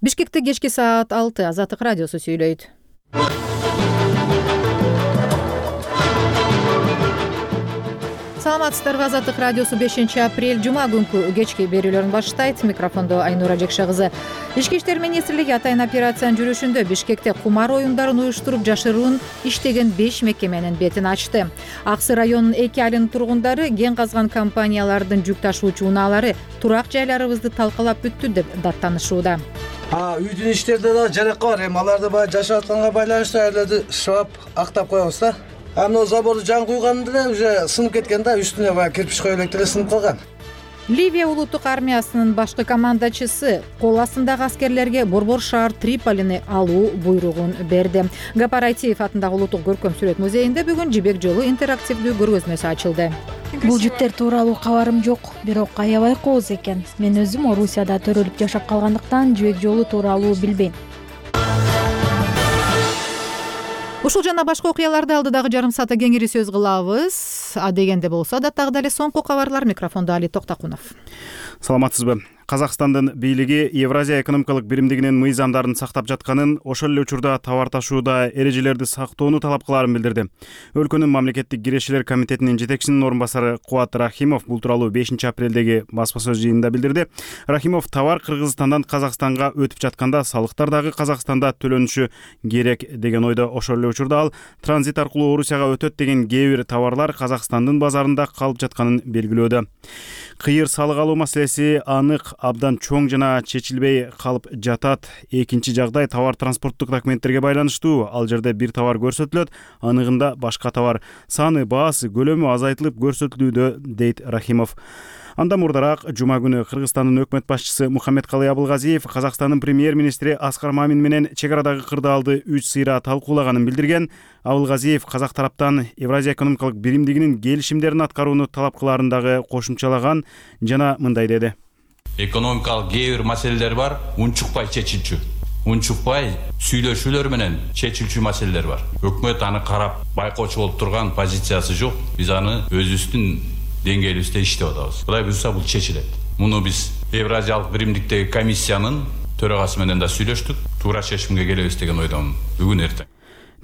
Бишкекте кечки саат 6 Азаттык радиосу сүйлөйт. Саламатсыздарбы, Азаттык радиосу 5-апрель жума күнкү кечки берүүлөрүн баштайт. Микрофондо Айнура Жекше кызы. Ички иштер министрлиги атайын операциянын жүрүшүндө Бишкекте кумар оюндарын уюштуруп жашыруун иштеген 5 мекеменин бетин ачты. Аксы районунун 2 айылынын тургундары кен казган компаниялардын жүк ташуучу унаалары турак жайларыбызды талкалап бүттү деп даттанышууда. Үйдүн иштерде да жаракка бар. Эми аларды баягы жашап атканга байланыштуу айларды шыбап актап коебуз да. Анын заборду жаңы куйганда эле уже сынып кеткен да, үстүнө баягы кирпич коюп элек деле сынып калган. Ливия улуттук армиясынын башкы командачысы кол астындагы аскерлерге Борбор шаар Триполини алуу буйругун берди. Гапар Айтиев атындагы улуттук көркөм сүрөт музейинде бүгүн Жибек жолу интерактивдүү көргөзмөсү ачылды. Бул жүктөр тууралуу кабарым жок, бирок аябай кооз экен. Мен өзүм Орусияда төрөлүп жашап калгандыктан Жибек жолу тууралуу билбейм. Ушул жана башка окуяларды алдыдагы жарым саатта кеңири сөз кылабыз. Дегенде болсо адаттагы эле соңку кабарлар. Микрофондо Али Токтакунов. Саламатсызбы? Казакстандын бийлиги Евразия экономикалык биримдигинин мыйзамдарын сактап жатканын, ошол эле учурда товар ташууда эрежелерди сактоону талап кылаарын билдирди. Өлкөнүн мамлекеттик кирешелер комитетинин жетекчисинин орун басары Кубат Рахимов бул тууралуу 5-апрелдеги басма сөз жыйынында билдирди. Рахимов товар Кыргызстандан Казакстанга өтүп жатканда салыктар дагы Казакстанда төлөнүшү керек деген ойдо. Ошол эле учурда ал транзит аркылуу Орусияга өтөт деген кээ бир товарлар Казакстандын базарында калып жатканын белгилөөдө. Кыйыр салык алуу маселеси анык абдан чоң жана чечилбей калып жатат. Экинчи жагдай товар транспорттук документтерге байланыштуу. Ал жерде бир товар көрсөтүлөт, аныгында башка товар саны, баасы, көлөмү азайтылып көрсөтүлүүдө, дейт Рахимов. Андан мурдараак жума күнү Кыргызстандын өкмөт башчысы Мухаммедкалый Абылгазиев Казакстандын премьер-министри Аскар Мамин менен чек арадагы кырдаалды 3 сыйра талкуулаганын билдирген. Абылгазиев казак тараптан Евразия экономикалык биримдигинин келишимдерин аткарууну талап кылаарын дагы кошумчалаган жана мындай деди. Экономикалык кээ бир маселелер бар, унчукпай чечилчү. Унчукпай сүйлөшүүлөр менен чечилчү маселелер бар. Өкмөт аны карап байкоочу болуп турган позициясы жок. Биз аны өзүбүздүн деңгээлибизде иштеп атабыз. Кудай буйрса бул чечилет. Муну биз Евразиялык биримдиктеги комиссиянын төрагасы менен да сүйлөштүк. Туура чечимге келебиз деген ойдомун бүгүн эртең,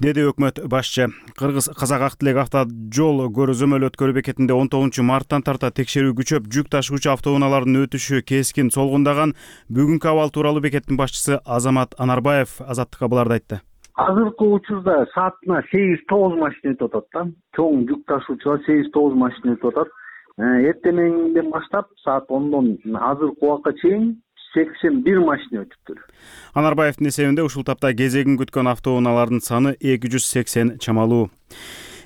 деди өкмөт башчы. Кыргыз-Казак Ак Тилек автожол көрүзөмөл өткөрүү бекетинде 19 марттан тарта текшерүү күчөп, жүк ташуучу автоунаалардын өтүшү кескин солгундаган. Бүгүнкү абал тууралуу бекеттин башчысы Азамат Анарбаев Азаттыкка буларды айтты. Азыркы учурда саатына 8-9 машина өтүп атат да. Чоң жүк ташуучулар 8-9 машина өтүп атат. Эртемеңден баштап саат 10дон азыркы убакка чейин 81 машина өтүптүр. Анарбаевдин эсебинде ушул тапта кезегин күткөн автоунаалардын саны 280 чамалуу.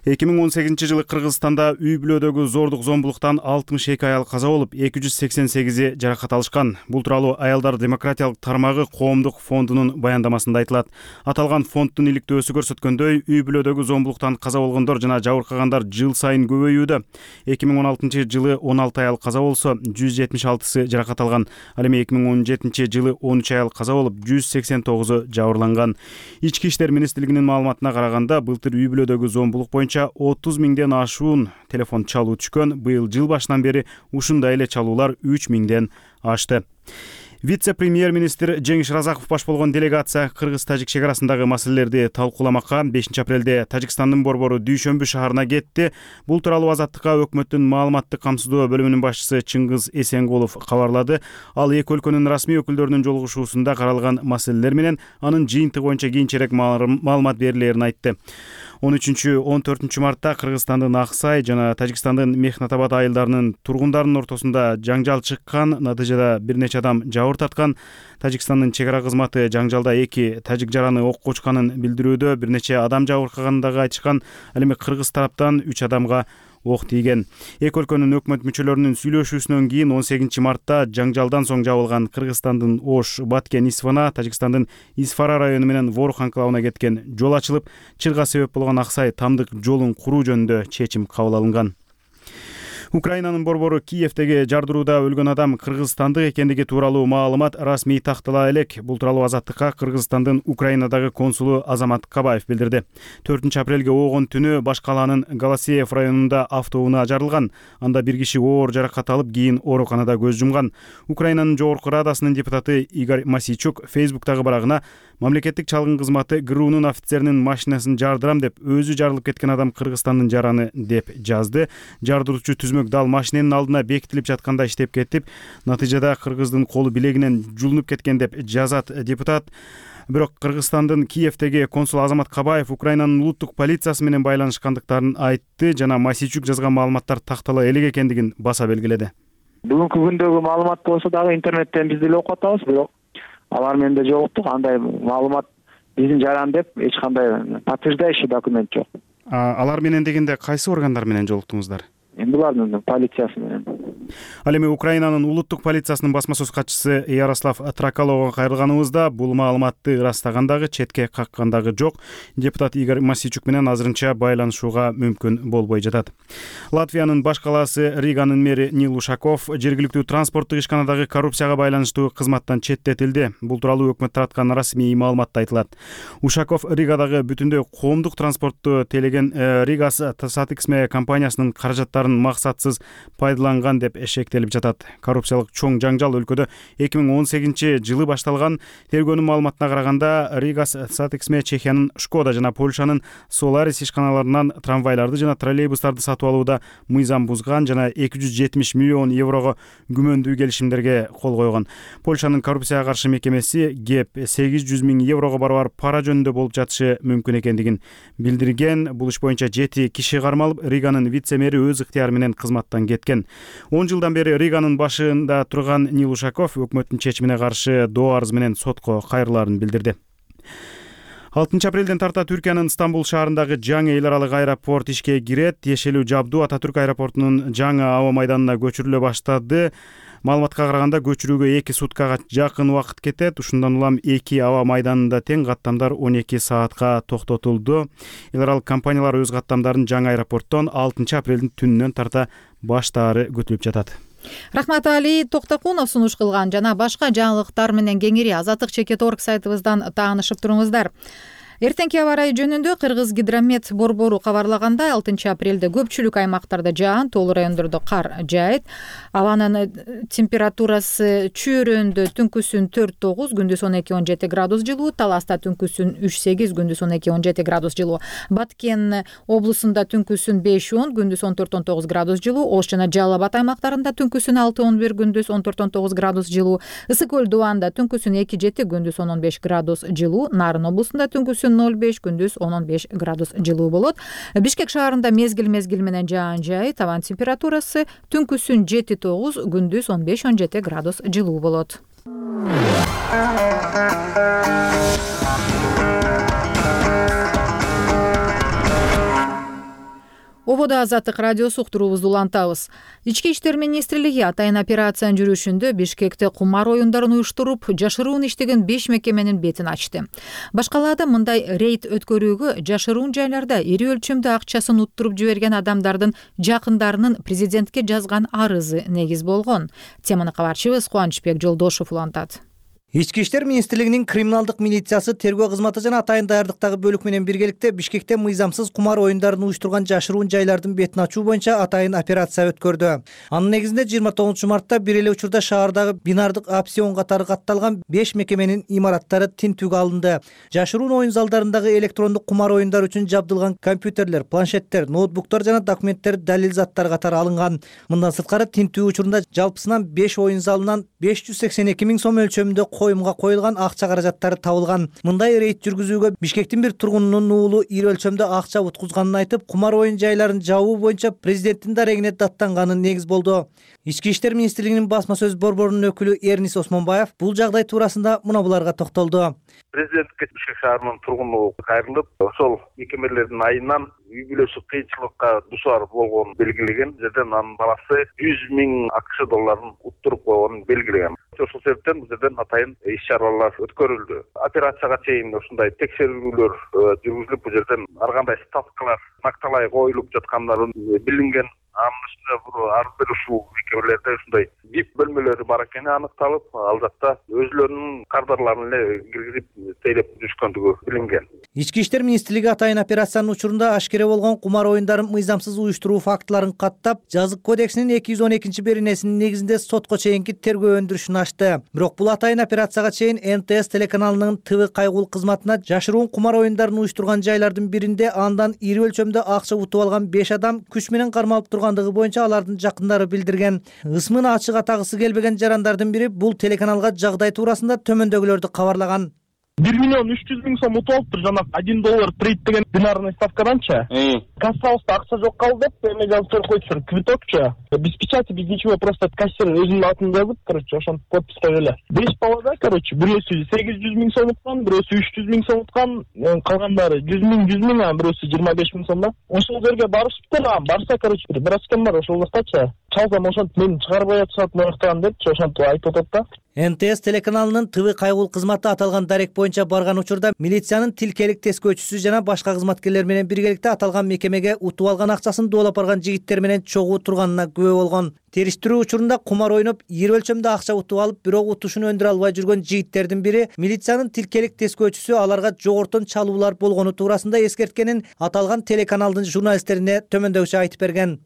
2018-жылы Кыргызстанда үй бүлөдөгү зордук зомбулуктан 62 аял каза болуп, 288 жаракат алышкан. Бул тууралуу Аялдар демократиялык тармагы коомдук фондунун баяндамасында айтылат. Аталган фонддун иликтөөсү көрсөткөндөй, үй бүлөдөгү зомбулуктан каза болгондор жана жабыркагандар жыл сайын көбөйүүдө. 2016-жылы 16 аял каза болсо, 176 жаракат алган. Ал эми 2017-жылы 13 аял каза болуп, 189 жабырланган. Ички иштер министрлигинин маалыматына караганда, былтыр үй бүлөдөгү зомбулук боюнча 30 миңден ашуун телефон чалуу түшкөн. Быйыл жыл башынан бери ушундай эле чалуулар 3 миңден ашты. Вице-премьер-министр Жеңиш Разаков баш болгон делегация Кыргыз-Тажик чек арасындагы маселелерди талкууламакка 5-апрелде Тажикстандын Борбору Дүйшөмбү шаарына кетти. Бул тууралуу Азаттыкка өкмөттүн маалыматтык камсыздоо бөлүмүнүн башчысы Чыңгыз Эсенгулов кабарлады. Ал эки өлкөнүн расмий өкүлдөрүнүн жолугушуусунда каралган маселелер менен анын жыйынтыгы боюнча кийинчерээк маалымат берилерин айтты. 13-14 мартта Кыргызстандын Аксай жана Тажикстандын Мехнатабад айылдарынын тургундарынын ортосунда жаңжал чыккан. Натыйжада бир нече адам жабыр тарткан. Тажикстандын чек ара кызматы жаңжалда 2 тажик жараны окко учканын билдирүүдө, бир нече адам жабыркаганын дагы айтышкан. Ал эми Кыргыз тараптан 3 адамга ок тийген. Эки өлкөнүн өкмөт мүчөлөрүнүн сүйлөшүүсүнөн кийин 18-мартта жаңжалдан соң жабылган Кыргызстандын Ош, Баткен, Исфана, Тажикстандын Исфара району менен Ворух анклавына кеткен жол ачылып, чырга себеп болгон Аксай тамдык жолун куруу жөнүндө чечим кабыл алынган. Украинанын борбору Киевдеги жардырууда өлгөн адам кыргызстандык экендиги тууралуу маалымат расмий тактала элек. Бул тууралуу Азаттыкка Кыргызстандын Украинадагы консулу Азамат Кабаев билдирди. 4 апрелге оогон түнү баш калаанын Голосеев районунда автоунаа жарылган. Анда бир киши оор жаракат алып, кийин ооруканада көз жумган. Украинанын жогорку радасынын депутаты Игорь Масийчук Фейсбуктагы барагына мамлекеттик чалгын кызматы ГРУнун офицеринин машинасын жардырам деп, өзү жарылып кеткен адам Кыргызстандын жараны деп жазды. Жардыруучу түзмөк дал машиненин алдына бекитилип жатканда иштеп кетип, натыйжада кыргыздын колу билегинен жулунуп кеткен деп жазат депутат. Бирок Кыргызстандын Киевдеги консул Азамат Кабаев Украинанын улуттук полициясы менен байланышкандыктарын айтты жана Масийчук жазган маалыматтар тактала элек экендигин баса белгиледи. Бүгүнкү күндөгү маалымат болсо дагы интернеттен биз деле окуп атабыз, бирок алар менде жолуктук. Андай маалымат биздин жаран деп эч кандай подтверждающий документ жок. Алар менен дегенде кайсы органдар менен жолуктуңуздар? Булардын полициясы менен. Ал эми Украинанын улуттук полициясынын басма сөз катчысы Ярослав Тракаловго кайрылганыбызда бул маалыматты ырастаган дагы, четке каккан дагы жок. Депутат Игорь Масийчук менен азырынча байланышууга мүмкүн болбой жатат. Латвиянын баш калаасы Риганын мэри Нил Ушаков жергиликтүү транспорттук ишканадагы коррупцияга байланыштуу кызматтан четтетилди. Бул тууралуу өкмөт тараткан расмий маалыматта айтылат. Ушаков Ригадагы бүтүндөй коомдук транспортту тейлеген Ригас Сатексме компаниясынын каражаттарын максатсыз пайдаланган деп шектелип жатат. Коррупциялык чоң жаңжал өлкөдө 2018-жылы башталган. Тергөөнүн маалыматына караганда Ригас Сатексме Чехиянын Шкода жана Польшанын Solaris ишканаларынан трамвайларды жана троллейбустарды сатып алууда мыйзам бузган жана 270 миллион еврого күмөндүү келишимдерге кол койгон. Польшанын коррупцияга каршы мекемеси ГЕП 800 миң еврого барабар пара жөнүндө болуп жатышы мүмкүн экендигин билдирген. Бул иш боюнча 7 киши кармалып, Риганын вице-мэри өз ыктыяры менен кызматтан кеткен. 10 жылдан бери Риганын башында турган Нил Ушаков өкмөттүн чечимине каршы доо арыз менен сотко кайрылаарын билдирди. 6 апрелден тарта Түркиянын Стамбул шаарындагы жаңы эл аралык аэропорт ишке кирет. Тиешелүү жабдуу Ататүрк аэропортунун жаңы аба майданына көчүрүлө баштады. Маалыматка караганда көчүрүүгө 2 суткага жакын убакыт кетет. Ушундан улам 2 аба майданында тең каттамдар 12 саатка токтотулду. Эл аралык компаниялар өз каттамдарын жаңы аэропорттон 6 апрелдин түнүнөн тарта баштаары күтүлүп жатат. Рахмат Али Токтокунов сунуш кылган жана башка жаңылыктар менен кеңири Азаттык.org сайтыбыздан таанышып туруңуздар. Эртеңки аба ырайы жөнүндө Кыргыз гидромет борбору кабарлагандай 6 апрелде көпчүлүк аймактарда жаан, тоолуу райондордо кар жаайт. Абанын температурасы чүйрөндө түнкүсүн 4-9, күндүз 12-17 градус жылуу, Таласта түнкүсүн 3-8, күндүз 12-17 градус жылуу. Баткен облусунда түнкүсүн 5-10, күндүз 14-19 градус жылуу, Ош жана Жалал Абад аймактарында түнкүсүн 6-11, күндүз 14-19 градус жылуу, Ысык көл Дубанда түнкүсүн 2-7, күндүз 15 градус жылуу, Нарын облусунда түнкүсүн 0-5, күндүз 15 градус жылуу болот. Бишкек шаарында мезгил менен жаан жаайт. Табан температурасы түнкүсүн 7-9, күндүз 15-17 градус жылуу болот. Ободо Азаттык радиосу уктуруубузду улантабыз. Ички иштер министрлиги атайын операциянын жүрүшүндө Бишкекте кумар оюндарын уюштуруп, жашыруун иштеген 5 мекеменин бетин ачты. Баш калаада мындай рейд өткөрүүгө жашыруун жайларда ири өлчөмдө акчасын уттуруп жиберген адамдардын жакындарынын президентке жазган арызы негиз болгон. Теманы кабарчыбыз Кубанычбек Жолдошов улантат. Ички иштер министрлигинин криминалдык милициясы, тергөө кызматы жана атайын даярдыктагы бөлүк менен биргеликте Бишкекте мыйзамсыз кумар оюндарын уюштурган жашыруун жайлардын бетин ачуу боюнча атайын операция өткөрдү. Анын негизинде 29 мартта бир эле учурда шаардагы бинардык опцион катары катталган 5 мекеменин имараттары тинтүүгө алынды. Жашыруун оюн залдарындагы электрондук кумар оюндар үчүн жабдылган компьютерлер, планшеттер, ноутбуктар жана документтер, далил заттар катары алынган. Мындан сырткары тинтүү учурунда жалпысынан 5 оюн залынан 582 миң сом өлчөмүндө коюмга коюлган акча каражаттары табылган. Мындай рейд жүргүзүүгө Бишкектин бир тургунунун уулу ири өлчөмдө акча уткузганын айтып, кумар оюн жайларын жабуу боюнча президенттин дарегине даттанганы негиз болду. Ички иштер министрлигинин басма сөз борборунун өкүлү Эрнис Осмонбаев бул жагдай туурасында мына буларга токтолду. Президентке Бишкек шаарынын тургуну кайрылып, ошол мекемелердин айынан үй бүлөсү кыйынчылыкка дуушар болгонун белгилеген. Жерден анын баласы 100 миң акш долларын уттуруп койгонун белгилеген. Ошол себептен бул жерден атайын иш-чаралар өткөрүлдү. Операцияга чейин ушундай текшерүүлөр жүргүзүлүп, бул жерден ар кандай ставкалар накталай коюлуп жаткандары билинген. Анын үстүнө ар бир ушул мекемелерде ушундай VIP бөлмөлөрү бар экени аныкталып, ал жакта өзүлөрүнүн кадрларын эле киргизип тейлеп жүрүшкөндүгү билинген. Ички иштер министрлиги атайын операциянын учурунда ашкере болгон кумар оюндарын мыйзамсыз уюштуруу фактыларын каттап, Жазык кодексинин 212-беренесинин негизинде сотко чейинки тергөө өндүрүшүн ачты. Бирок бул атайын операцияга чейин НТС телеканалынын ТВ кайгул кызматына жашыруун кумар оюндарын уюштурган жайлардын биринде андан ири өлчөмдө акча утуп алган 5 адам күч менен кармалып тургандыгы боюнча алардын жакындары билдирген. Ысмын ачык атагысы келбеген жарандардын бири бул телеканалга жагдай туурасында төмөндөгүлөрдү кабарлаган. 1 миллион 300 000 сом утуп алыптыр жанагы $1 трейд деген бинарный ставкаданчы. Кассабызда акча жок калды деп эме жазып берип койчу, квитокчу. Без печати, без ничего, просто кассир өзүнүн атын жазып, короче, ошон подписка эле. 5 балада, короче, бирөөсү 800 000 сом уткан, бирөөсү 300 000 сом уткан, калгандары 100 000, а бирөөсү 25 000 сом да. Ошол жерге барышыптыр, барса, короче, бир раскен бар ошол жактачы. Чалсам ошентип мен чыгарбай атышат мыктаган депчи, ошентип айтып атат да. НТС телеканалынын ТВ кайгул кызматы аталган дарек боюнча барган учурда милициянын тилкелик тескөөчүсү жана башка кызматкерлер менен биргеликте аталган мекемеге утуп алган акчасын доолап барган жигиттер менен чогуу турганына күбө болгон. Териштирүү учурунда кумар ойноп, ири өлчөмдө акча утуп алып, бирок утушун өндүрө албай жүргөн жигиттердин бири милициянын тилкелик тескөөчүсү аларга жогортон чалуулар болгону туурасында эскерткенин аталган телеканалдын журналисттерине төмөндөгүчө айтып берген.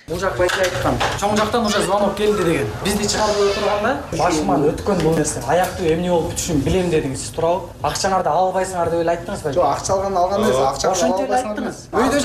Бул жак байке айткан. Чоң жактан уже звонок келди деген. Бизди чыгарып отурганда, башыман өткөн бул нерсе. Аяктуу эмне болуп бүтүшүн билем дедиңиз. Сиз туурабы? Акчаңарды албайсыңар деп эле айттыңыз ба? Жок, акча алган эмес, акча албайсыңар. Өйдө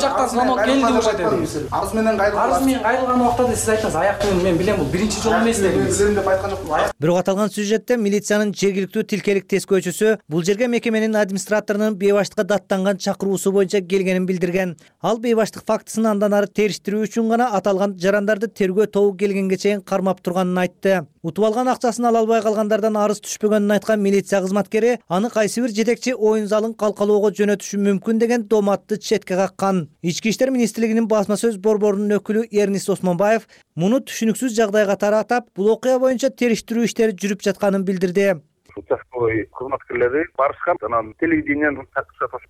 жактан звонок келди уже дедиңиз. Арыз менен кайрылган. Арыз менен кайрылган убакта сиз айттыңыз, аяктуу мен билем, бул биринчи жолу эмес дедиңиз. Билем деп айткан жокмун. Бирок аталган сюжетте милициянын жергиликтүү тилкелик тескөөчүсү бул жерге мекеменин администраторунун бейбаштыкка даттанган чакыруусу боюнча келгенин билдирген. Ал бейбаштык фактысын андан ары териштирүү үчүн аталган жарандарды тергөө тобу келгенге чейин кармап турганын айтты. Утуп алган акчасын ала албай калгандардан арыз түшпөгөнүн айткан милиция кызматкери аны кайсы бир жетекчи оюн залын калкалоого жөнөтүшү мүмкүн деген доматты четке каккан. Ички иштер министрлигинин басма сөз борборунун өкүлү Эрнист Осмонбаев муну түшүнүксүз жагдайга таратып, бул окуя боюнча териштирүү иштери жүрүп жатканын билдирди. Участковый кызматкерлери барышкан, анан телевидениянын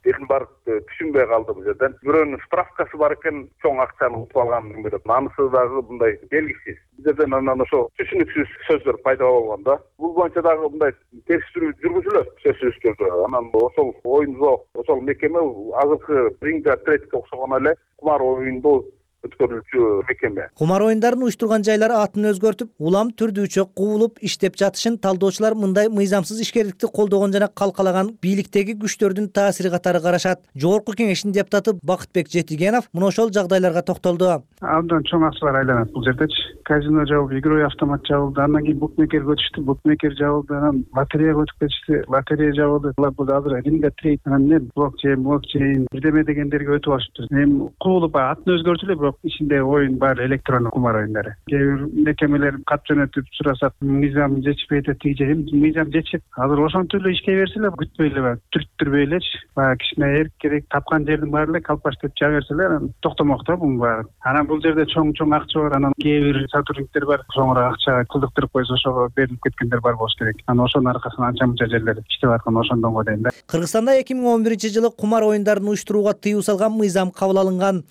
берин барып түшүнбөй калды бул жерден. Бирөөнүн справкасы бар экен, чоң акчаны утуп алганын билет. Анысы дагы мындай белгисиз. Бизерден анан ошо түшүнүксүз сөздөр пайда болгон да. Бул боюнча дагы мындай териштирүү жүргүзүлөт сөзсүз түрдө. Анан ошол оюнго, ошол мекеме азыркы ринга третке окшогон эле кумар оюнду өткөрүүчү мекеме. Кумар оюндарын уюштурган жайлар атын өзгөртүп, улам түрдүүчө куулуп иштеп жатышын талдоочулар мындай мыйзамсыз ишкерликти колдогон жана калкалаган бийликтеги күчтөрдүн таасири катары карашат. Жогорку кеңештин депутаты Бакытбек Жетигенов мына ошол жагдайларга токтолду. Абдан чоң акчалар айланат бул жердечи. Казино жабылды, игровой автомат жабылды, андан кийин букмекерге өтүштү, букмекер жабылды, анан лотереяга өтүп кетишти, лотерея жабылды. Бул азыр ринга трейд, анан блокчейн, бирдеме дегендерге өтүп алышыптыр. Эми куулуп атын өзгөртүлө, бирок ичинде оюн бар, электрондук кумар оюндары. Кээ бир мекемелер кат жөнөтүп сурасат, мыйзам жетишпей атат деген. Мыйзам жетишет. Азыр ошентип эле ишке берсе эле, күтпөй эле, түрттүрбөй элечи. Кичине эрк керек, тапкан жердин баары эле калпаштеп жаба берсе эле, токтомок да бунун баары. Анан бул жерде чоң акча бар, анан кээ бир сотрудниктер бар, чоңураак акча кылдыктырып койсо ошого берилип кеткендер бар болуш керек. Анан ошонун аркасынан анча-мынча жерлер иштеп аткан ошондонго дейин да. Кыргызстанда 2011-жылы кумар оюндарын уюштурууга тыюу салган мыйзам кабыл алынган.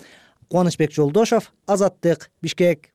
Кубанычбек Жолдошов, Азаттык, Бишкек.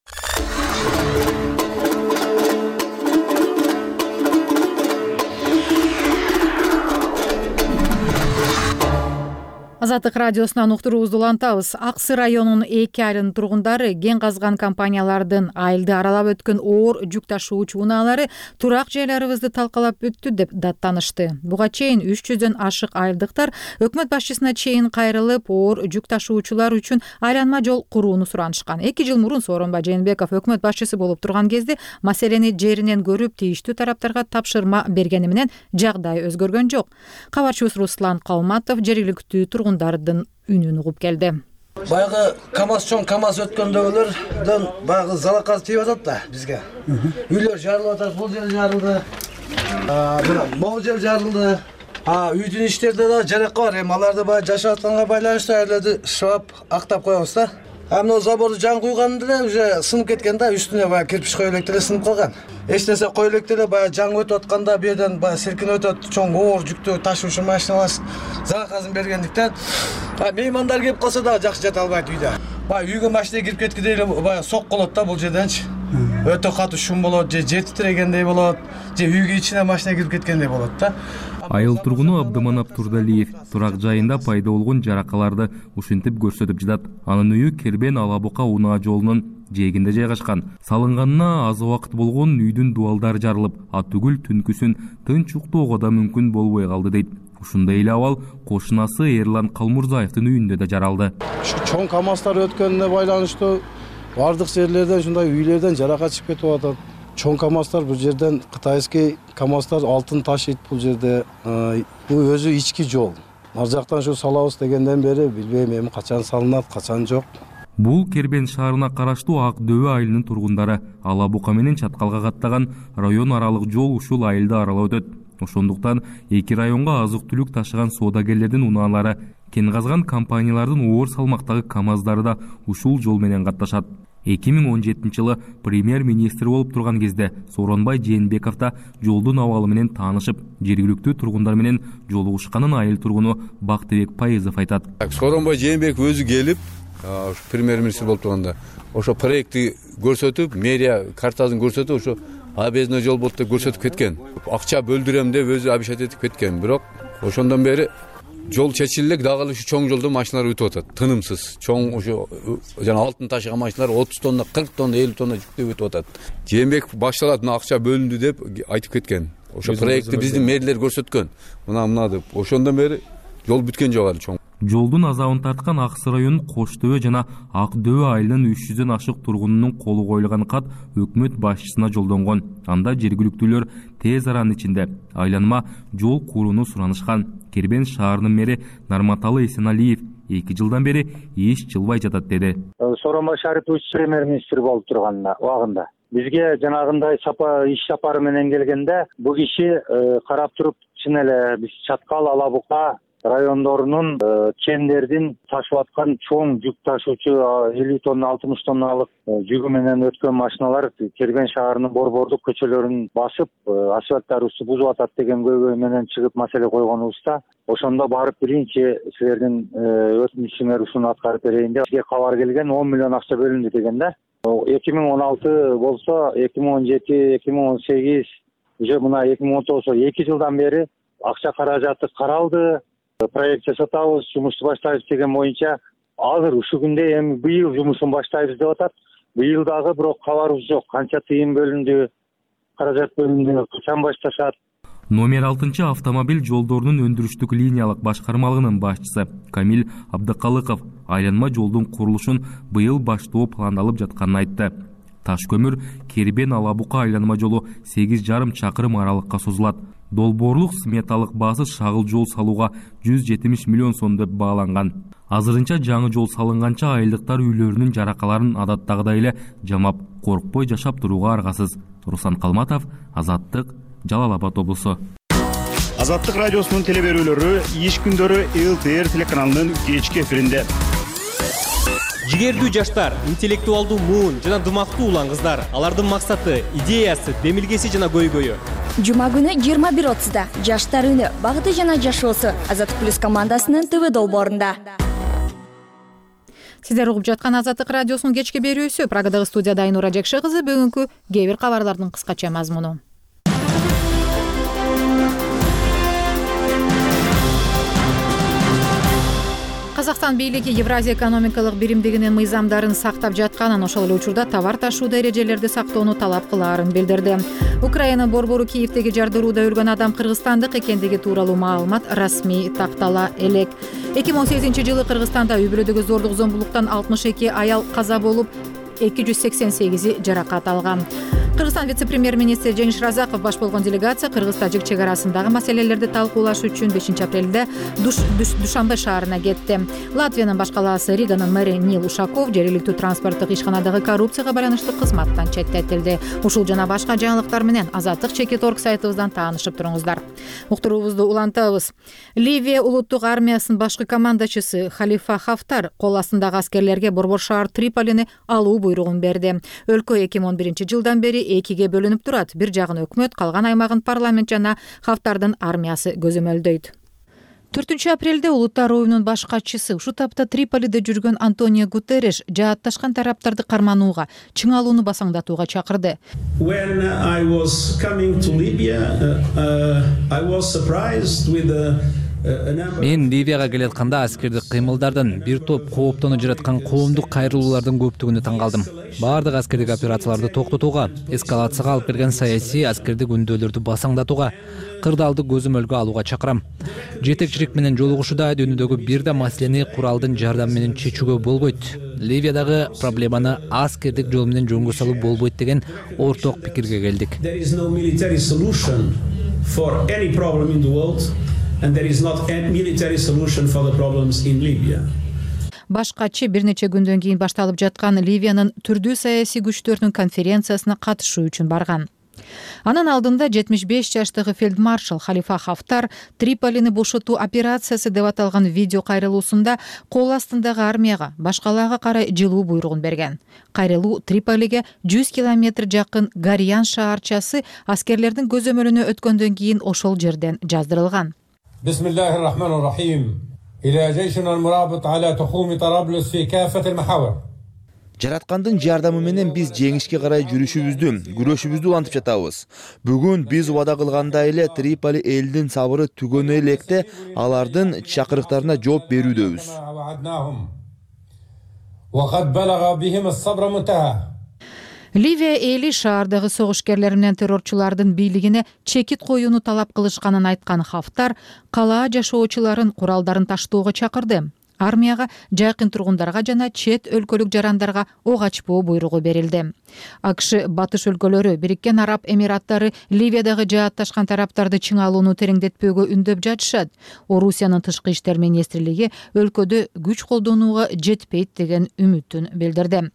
Азаттык радиосунан уктуруубузду улантабыз. Ак Сый районунун 2 айрым тургундары кен казган компаниялардын айылды аралап өткөн оор жүк ташуучу унаалары турак жайларыбызды талкалап өттү деп даттанышты. Буга чейин 300дөн ашык айылдыктар өкмөт башчысына чейин кайрылып, оор жүк ташуучулар үчүн айланма жол курууну суранышкан. 2 жыл мурун Сооронбай Жээнбеков өкмөт башчысы болуп турган кезде маселени жеринен көрүп, тийиштүү тараптарга тапшырма бергени менен жагдай өзгөргөн жок. Кабарчыбыз Руслан Калматов жергиликтүү тургундардын үнүн угуп келди. Баягы чоң КамАЗ өткөндөгүлөрдөн баягы залаказ тийип атат да бизге. Үйлөр жарылып атат, бул жер жарылды. Могул жер жарылды. Үйдүн иштерде да жаракка бар. Эми аларды баягы жашап атканга байланыштуу айларды шыбап актап коебуз да. Амына заборду жан куйганда эле уже сынып кеткен да, үстүнө баягы кирпич кое элек деле сынып калган. Эч нерсе кое элек деле баягы жан өтүп атканда бу жерден баягы силкинип өтөт, чоң оор жүктү ташуучу машиналар залаказын бергендиктен меймандар келип калса да жакшы жата албайт үйдө. баягы үйгө машина кирип кеткенде эле баягы соккулот да бул жерденчи. Өтө катуу шум болот, же жер титирегендей болот, же үйгө ичине машина кирип кеткендей болот да. Айыл тургуну Абдыманап Турдалиев турак жайында пайда болгон жаракаларды ушинтип көрсөтүп жатат. Анын үйү Кербен Алабука унаа жолунун жээгинде жайгашкан. Салынганына аз убакыт болгон үйдүн дуалдары жарылып, түгүл түнкүсүн тынч уктоого да мүмкүн болбой калды дейт. Ушундай эле абал кошунасы Эрлан Калмурзаевдин үйүндө да жаралды. Чоң КАМАЗдар өткөнүнө байланыштуу бардык жерлерден ушундай үйлөрдөн жаракат чыгып кетип атат. Чоң КАМАЗдар бул жерден кытайский КАМАЗдар алтын ташыйт бул жерде. Бул өзү ички жол. Ар жактан ушу салабыз дегенден бери билбейм эми качан салынат, качан жок. Бул Кербен шаарына караштуу Ак Дөбө айылынын тургундары. Алабука менен Чаткалга каттаган район аралык жол ушул айылды аралап өтөт. Ошондуктан эки районго азык-түлүк ташыган соодагерлердин унаалары, кен казган компаниялардын оор салмактагы КАМАЗдары да ушул жол менен катташат. 2017-жылы премьер-министр болуп турган кезде Сооронбай Жээнбеков да жолдун абалы менен таанышып, жергиликтүү тургундар менен жолугушканын айыл тургуну Бактыбек Пайызов айтат. Сооронбай Жээнбеков өзү келип, премьер-министр болуп турганда, ошо проектти көрсөтүп, мэрия картасын көрсөтүп, ошо объездной жол болуп деп көрсөтүп кеткен. Акча бөлдүрөм деп өзү обещать этип кеткен. Бирок ошондон бери жол чечилде, дагы ушу чоң жолдон машиналар өтүп атат. Тынымсыз. Чоң ошо жана алтын ташыган машиналар 30 тонна, 40 тонна, 50 тонна жүктөп өтүп атат. Жээнбеков башталат, мына акча бөлүндү деп айтып кеткен. Ошо проектти биздин мэрлер көрсөткөн. Мына деп. Ошондон бери жол бүткөн жок али чоң. Жолдун азабын тарткан Аксы районунун Кош Дөбө жана Ак Дөбө айылынын 300дөн ашык тургунунун колу коюлган кат өкмөт башчысына жолдонгон. Анда жергиликтүүлөр тез аранын ичинде айланма жол курууну суранышкан. Кербен шаарынын мэри Нарматалы Эсеналиев 2 жылдан бери эч жылбай жатат деди. Сооронбай Шарипович премьер-министр болуп турган убагында бизге жанагындай иш сапары менен келгенде бул киши карап туруп, чын эле биз Чаткал, Алабука райондорунун кендердин ташып аткан чоң жүк ташуучу 50 тонна, 60 тонналык жүгү менен өткөн машиналар Кербен шаарынын борбордук көчөлөрүн басып, асфальттарыбызды бузуп атат деген көйгөй менен чыгып маселе койгонубузда, ошондо барып биринчи силердин өтүнүчүңөр ушуну аткарып берейин деп бизге кабар келген, 10 миллион акча бөлүндү дегенде. 2016 болсо, 2017, 2018, уже мына 2019 2 жылдан бери акча каражаты каралды. Проект жасатабыз, жумушту баштайбыз деген боюнча азыр ушул күндө эми быйыл жумушун баштайбыз деп атат. Быйыл дагы бирок кабарыбыз жок. Канча тыйын бөлүндү, каражат бөлүндү, качан башташат. Номер 6 автомобиль жолдорунун өндүрүштүк линиялык башкармалыгынын башчысы Камил Абдыкалыков айланма жолдун курулушун быйыл баштоо пландалып жатканын айтты. Таш көмүр Кербен Алабука айланма жолу 8,5 чакырым аралыкка созулат. Долбоорлук сметалык баасы шагыл жол салууга 170 миллион сом деп бааланган. Азырынча жаңы жол салынганча айылдыктар үйлөрүнүн жаракаларын адаттагыдай эле жамап, коркпой жашап турууга аргасыз. Руслан Калматов, Азаттык, Жалал Абад облусу. Азаттык радиосунун телеберүүлөрү иш күндөрү ЛТР телеканалынын кечки эфиринде. Жигердүү жаштар, интеллектуалдуу муун жана дымактуу улан кыздар. Алардын максаты, идеясы, демилгеси жана көйгөйү. Жума күнү 21:30да Жаштар үнү, багыты жана жашоосу Азаттык плюс командасынын ТВ долбоорунда. Сиздер угуп жаткан Азаттык радиосунун кечки берүүсү. Прагадагы студияда Айнура Жекше кызы. Бүгүнкү кээ бир кабарлардын кыскача мазмуну. Казакстан бийлиги Евразия экономикалык биримдигинин мыйзамдарын сактап жатканын, ошол эле учурда товар ташууда эрежелерди сактоону талап кылаарын билдирди. Украина борбору Киевдеги жардырууда өлгөн адам кыргызстандык экендиги тууралуу маалымат расмий тактала элек. 2018-жылы Кыргызстанда үй бүлөдөгү зордук зомбулуктан 62 аял каза болуп, 288 жаракат алган. Кыргызстан вице-премьер-министри Жеңиш Разаков баш болгон делегация Кыргыз-Тажик чек арасындагы маселелерди талкуулаш үчүн 5-апрелде Душанбе шаарына кетти. Латвиянын баш калаасы Риганын мэри Нил Ушаков жергиликтүү транспорттук ишканадагы коррупцияга байланыштуу кызматтан четтетилди. Ушул жана башка жаңылыктар менен Азаттык Чекит.орг сайтыбыздан таанышып туруңуздар. Уктуруубузду улантабыз. Ливия улуттук армиясынын башкы командачысы Халифа Хафтар кол астындагы аскерлерге борбор шаар Триполини алуу буйругун берди. Өлкө 2011-жылдан бери экиге бөлүнүп турат. Бир жагын өкмөт, калган аймагын парламент жана Хафтардын армиясы көзөмөлдөйт. 4-апрелде улуттар оюнунун баш катчысы ушул тапта Триполиде жүргөн Антонио Гутерриш жаатташкан тараптарды карманууга, чыңалууну басаңдатууга чакырды. When I was coming to Libya, I was surprised with Мен Ливияга келатканда аскердик кыймылдардын бир топ кооптонуп жараткан коомдук кайрылуулардын көптүгүнө таң калдым. Баардык аскердик операцияларды токтотууга, эскалацияга алып келген саясий аскердик үндөөлөрдү басаңдатууга, кырдаалды көзөмөлгө алууга чакырам. Жетекчилик менен жолугушууда дүйнөдөгү бир да маселени куралдын жардамы менен чечүүгө болбойт. Ливиядагы проблеманы аскердик жол менен жөнгө салуу болбойт деген орток пикирге келдик. And there is not a military solution for the problems in Libya. Баш катчы бир нече күндөн кийин башталып жаткан Ливиянын түрдүү саясий күчтөрүнүн конференциясына катышуу үчүн барган. Анын алдында 75 жаштагы фельдмаршал Халифа Хафтар Триполини бошотуу операциясы деп аталган видео кайрылуусунда кол астындагы армияга башкаларга карай жылуу буйругун берген. Кайрылуу Триполиге 100 километр жакын Гариян шаарчасы аскерлердин көзөмөлүнө өткөндөн кийин ошол жерден жаздырылган. بسم الله الرحمن الرحيم إلى جيشنا المرابط على تخوم طرابلس في كافة المحاور. Жараткандын жардамы менен биз жеңишке карай жүрүшүбүздү, күрөшүбүздү улантып жатабыз. Бүгүн биз убада кылгандай эле Триполи элдин сабыры түгөнө электе алардын чакырыктарына жооп берүүдөбүз. وقد بلغ بهم الصبر منتهى. Ливия эли шаардагы согушкерлер менен террорчулардын бийлигине чекит коюуну талап кылышканын айткан Хафтар калаа жашоочуларын куралдарын таштоого чакырды. Армияга жакын тургундарга жана чет өлкөлүк жарандарга ок ачпоо буйругу берилди. АКШ батыш өлкөлөрү, Бириккен Араб Эмираттары Ливиядагы жаатташкан тараптарды чыңалууну тереңдетпөөгө үндөп жатышат. Орусиянын тышкы иштер министрлиги өлкөдө күч колдонууга жетпейт деген үмүтүн билдирди.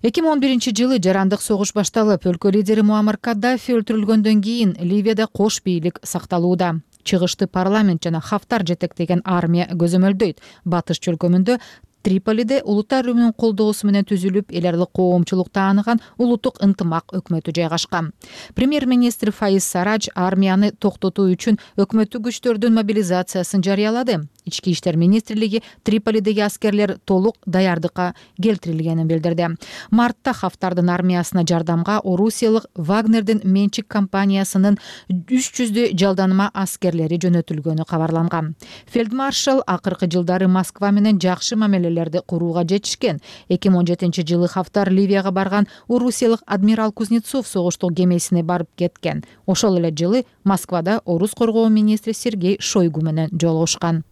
2011-жылы жарандык согуш башталып, өлкө лидери Муаммар Каддафи өлтүрүлгөндөн кийин Ливияда кош бийлик сакталууда. Чыгышты парламент жана Хафтар жетектеген армия көзөмөлдөйт. Батыш чөлкөмүндө Триполиде улуттар уюмунун колдоосу менен түзүлүп, эл аралык коомчулук тааныган улуттук ынтымак өкмөтү жайгашкан. Премьер-министр Фаиз Сарадж армияны токтотуу үчүн өкмөттүк күчтөрдүн мобилизациясын жарыялады. Ички иштер министрлиги Триполидеги аскерлер толук даярдыкка келтирилгенин билдирди. Мартта Хафтардын армиясына жардамга Орусиялык Вагнердин менчик компаниясынын 300 жалданыма аскерлери жөнөтүлгөнү кабарланган. Фельдмаршал акыркы жылдары Москва менен жакшы мамилелерди курууга жетишкен. 2017-жылы Хафтар Ливияга барган орусиялык адмирал Кузнецов согуштук кемесине барып кеткен. Ошол эле жылы Москвада орус коргоо министри Сергей Шойгу менен жолугушкан.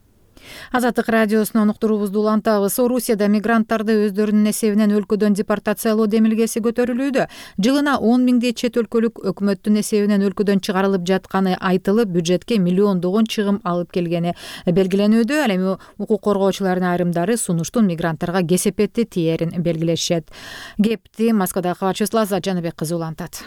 Азаттык радиосунун уктуруубузду улантабыз. Орусияда мигранттарды өздөрүнүн эсебинен өлкөдөн депортациялоо демилгеси көтөрүлүүдө. Жылына 10 миңдей чет өлкөлүк өкмөттүн эсебинен өлкөдөн чыгарылып жатканы айтылып, бюджетке миллиондогон чыгым алып келгени белгиленүүдө. Ал эми укук коргоочулардын айрымдары сунуштун мигранттарга кесепетти тиерин белгилешет. Кепти Москвадагы кабарчыбыз Лаззат Жаныбек кызы улантат.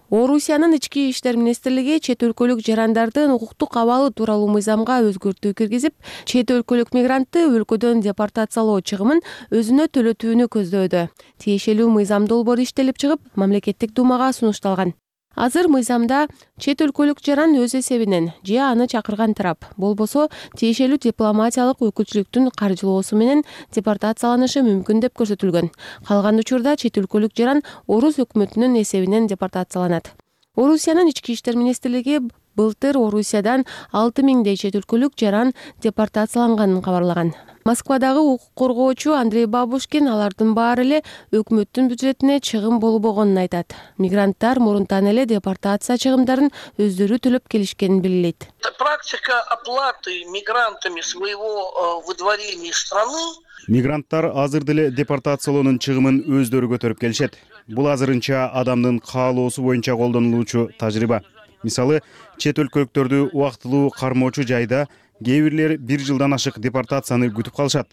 Орусиянын ички иштер министрлиги чет өлкөлүк жарандардын укуктук абалы тууралуу мыйзамга өзгөртүү киргизип, чет өлкөлүк мигрантты өлкөдөн депортациялоо чыгымын өзүнө төлөтүүнү көздөдү. Тиешелүү мыйзам долбоору иштелип чыгып, мамлекеттик думага сунушталган. Азыр мыйзамда чет өлкөлүк жаран өз эсебинен же аны чакырган тарап болбосо тиешелүү дипломатиялык өкүлчүлүктүн каржылоосу менен депортацияланышы мүмкүн деп көрсөтүлгөн. Калган учурда чет өлкөлүк жаран орус өкмөтүнүн эсебинен депортацияланат. Орусиянын ички иштер министрлиги былтыр Орусиядан 6 миңдей чет өлкөлүк жаран депортацияланганын кабарлаган. Москвадагы укук коргоочу Андрей Бабушкин алардын баары эле өкмөттүн бюджетине чыгым болбогонун айтат. Мигранттар мурунтан эле депортация чыгымдарын өздөрү төлөп келишкенин белгилейт. Практика оплаты мигрантами своего выдворения из страны. Мигранттар азыр деле депортациялоонун чыгымын өздөрү көтөрүп келишет. Бул азырынча адамдын каалоосу боюнча колдонулуучу тажрыйба. Мисалы, чет өлкөлүктөрдү убактылуу кармоочу жайда кээ бирлер 1 жылдан ашык депортацияны күтүп калышат.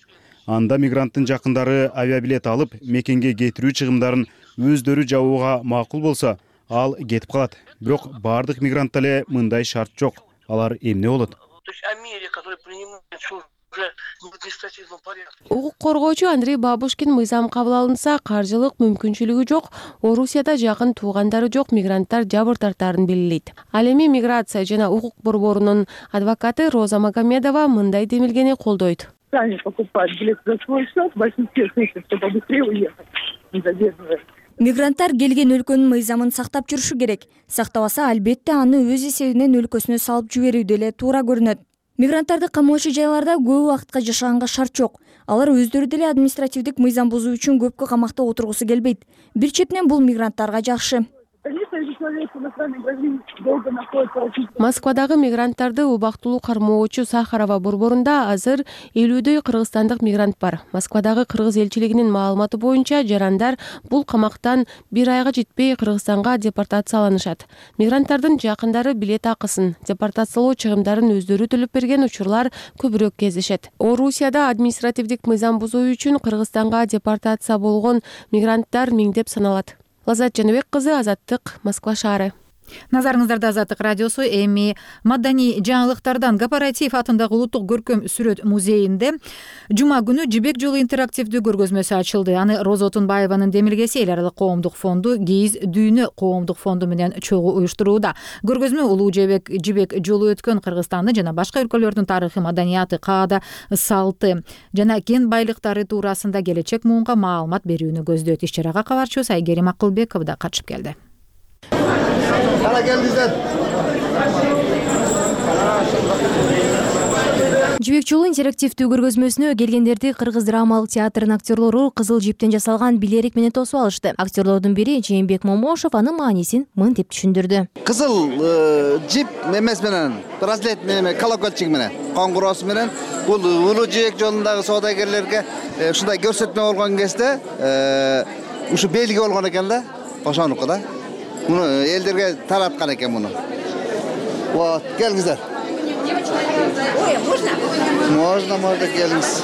Анда мигранттын жакындары авиабилет алып, мекенге кетирүү чыгымдарын өздөрү жабууга макул болсо, ал кетип калат. Бирок бардык мигрантта эле мындай шарт жок. Алар эмне болот? То есть о мере, которые принимают уже в административном порядке. Укук коргоочу Андрей Бабушкин мыйзам кабыл алынса, каржылык мүмкүнчүлүгү жок, Орусияда жакын туугандары жок мигранттар жабыр тартаарын белгилейт. Ал эми миграция жана укук борборунун адвокаты Роза Магомедова мындай демилгени колдойт. Сами покупают билет за свой счет, в большинстве случаев, чтобы быстрее уехать, не задерживая. Мигранттар келген өлкөнүн мыйзамын сактап жүрүшү керек. Сактабаса, албетте аны өз эсебинен өлкөсүнө салып жиберүү деле туура көрүнөт. Мигранттарды камоочу жайларда көп убакытка жашаганга шарт жок. Алар өздөрү деле административдик мыйзам бузуу үчүн көпкө камакта отургусу келбейт. Бир четинен бул мигранттарга жакшы. Москвадагы мигранттарды убактылуу кармоочу Сахарова борборунда азыр 50дөй кыргызстандык мигрант бар. Москвадагы кыргыз элчилигинин маалыматы боюнча жарандар бул камактан 1 айга жетпей Кыргызстанга депортацияланышат. Мигранттардын жакындары билет акысын, депортациялоо чыгымдарын өздөрү төлөп берген учурлар көбүрөөк кездешет. Орусияда административдик мыйзам бузуу үчүн Кыргызстанга депортация болгон мигранттар миңдеп саналат. Лазат Жаныбек кызы, Азаттык, Москва шаары. Назарыңыздарда Азаттык радиосу. Эми маданий жаңылыктардан Кооператив атындагы улуттук көркөм сүрөт музейинде жума күнү Жибек жолу интерактивдүү көргөзмөсү ачылды. Аны Роза Отунбаеванын демилгеси Эл аралык коомдук фонду КИИЗ Дүйнө коомдук фонду менен чогуу уюштурууда. Көргөзмө улуу Жибек жолу өткөн Кыргызстанды жана башка өлкөлөрдүн тарыхы, маданияты, каада, салты жана кен байлыктары туурасында келечек муунга маалымат берүүнү көздөйт. Иш-чарага кабарчыбыз Айгерим Акылбеков да катышып келди. Жибек жолу интерактивдүү көргөзмөсүнө келгендерди Кыргыз драмалык театрынын актерлору кызыл жиптен жасалган билерик менен тосуп алышты. Актерлордун бири Жээнбек Момошов анын маанисин мынтип түшүндүрдү. Кызыл жип эмес менен, браслет менен, колокольчик менен, коңгуроосу менен бул улуу Жибек жолундагы соодагерлерге ушундай көрсөтмө болгон кезде ушу белги болгон экен да, ошонуку да. Bunu elderge taratkan eken bunu. Вот, gelingizler. Можно geliniz.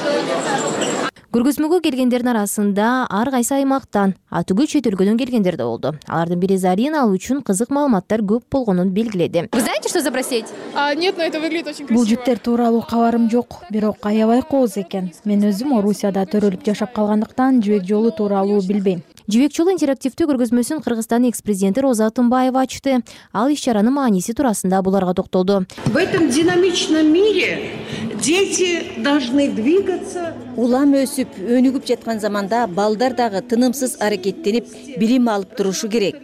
Көргөзмөгө келгендердин арасында ар кайсы аймактан, түгүл чет өлкөдөн келгендер да болду. Алардын бири Зарина ал үчүн кызык маалыматтар көп болгонун белгиледи. Вы знаете, что за браслет? Нет, но это выглядит очень красиво. Бул жиптер тууралуу кабарым жок, бирок аябай кооз экен. Мен өзүм Орусияда төрөлүп жашап калгандыктан Жибек жолу тууралуу билбейм. Жибек жолу интерактивдүү көргөзмөсүн Кыргызстандын экс-президенти Роза Отунбаева ачты. Ал иш-чаранын мааниси туурасында буларга токтолду. В этом динамичном мире дети должны двигаться. Улам өсүп, өнүгүп жаткан заманда балдар дагы тынымсыз аракеттенип, билим алып турушу керек.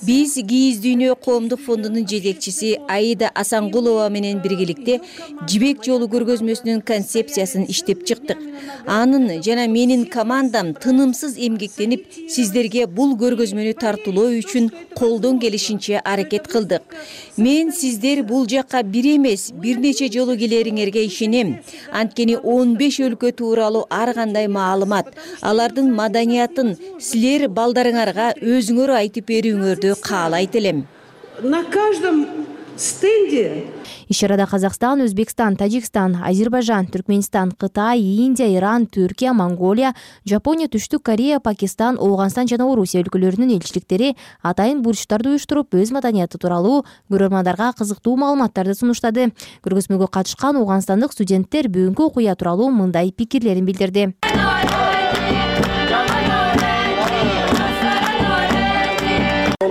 Биз КИИЗ Дүйнө коомдук фондунун жетекчиси Аида Асангулова менен биргеликте Жибек жолу көргөзмөсүнүн концепциясын иштеп чыктык. Анын жана менин командам тынымсыз эмгектенип, сиздерге бул көргөзмөнү тартуулоо үчүн колдон келишинче аракет кылдык. Мен сиздер бул жакка бир эмес, бир нече жолу келериңерге ишенем. Анткени 15 өлкө тууралуу ар кандай маалымат, алардын маданиятын силер балдарыңарга өзүңөр айтып берүүңөрдү каалайт элем. На каждом стенде Иш-чарада Казакстан, Өзбекстан, Тажикстан, Азербайжан, Түркменистан, Кытай, Индия, Иран, Түркия, Монголия, Жапония, Түштүк Корея, Пакистан, Ооганстан жана Орусия өлкөлөрүнүн элчиликтери атайын бурчтарды уюштуруп, өз маданияты тууралуу көрөрмандарга кызыктуу маалыматтарды сунуштады. Көргөзмөгө катышкан ооганстандык студенттер бүгүнкү окуя тууралуу мындай пикирлерин билдирди.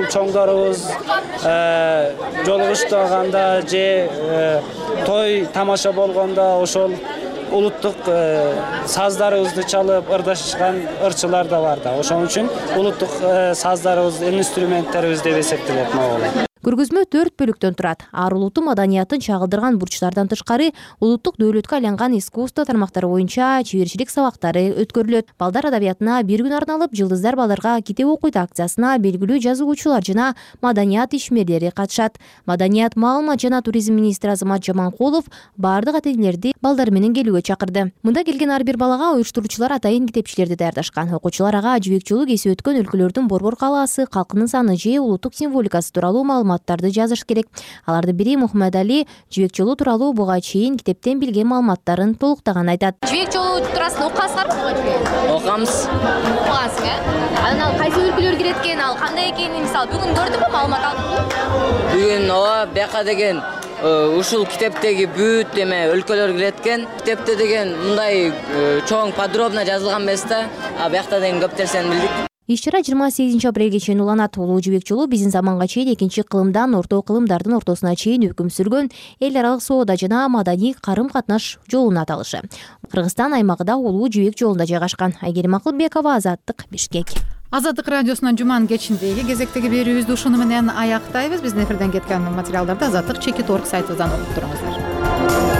Чоңдорубуз жолугуштаганда же той тамаша болгондо ошол улуттук саздарыбызды чалып ырдашышкан ырчылар да бар да. Ошон үчүн улуттук саздарыбыз, инструменттерибиз деп эсептелет могу. Көргөзмө 4 бөлүктөн турат. Ар улуттун маданиятын чагылдырган бурчтардан тышкары улуттук дөөлөткө айланган искусство тармактары боюнча чеберчилик сабактары өткөрүлөт. Балдар адабиятына бир күн арналып, Жылдыздар балдарга китеп окуйт акциясына белгилүү жазуучулар жана маданият ишмерлери катышат. Маданият, маалымат жана туризм министри Азамат Жаманкулов бардык ата-энелерди балдар менен келүүгө чакырды. Мында келген ар бир балага уюштуруучулар атайын китепчилерди даярдашкан. Окуучулар ага Жибек жолу кесип өткөн өлкөлөрдүн борбор калаасы, калкынын саны же улуттук символикасы тууралуу маалыматтарды жазыш керек. Алардын бири Мухаммед Али Жибек жолу тууралуу буга чейин китептен билген маалыматтарын толуктаган айтат. Жибек жолу туурасында окугансыздарбы буга чейин? Окугамыз. Окугансыз, Анан ал кайсы өлкөлөр кирет экен, ал кандай экенин мисалы бүгүн көрдүңбү, маалымат алдыңбы? Бүгүн ооба бияка деген ушул китептеги бүт эме өлкөлөр кирет экен. Китепте деген мындай чоң подробно жазылган эмес да, а биякта деген көп нерсени билдик. Иш-чара 28 апрелге чейин уланат. Улуу жибек жолу биздин заманга чейин экинчи кылымдан орто кылымдардын ортосуна чейин өкүм сүргөн эл аралык соода жана маданий карым-катнаш жолунун аталышы. Кыргызстан аймагында улуу жибек жолунда жайгашкан. Айгерим Акылбекова, Азаттык, Бишкек. Азаттык радиосунун жуманын кечиндеги кезектеги берүүбүздү ушуну менен аяктайбыз. Биздин эфирден кеткен материалдарды Азаттык.org сайтыбыздан окуп туруңуздар.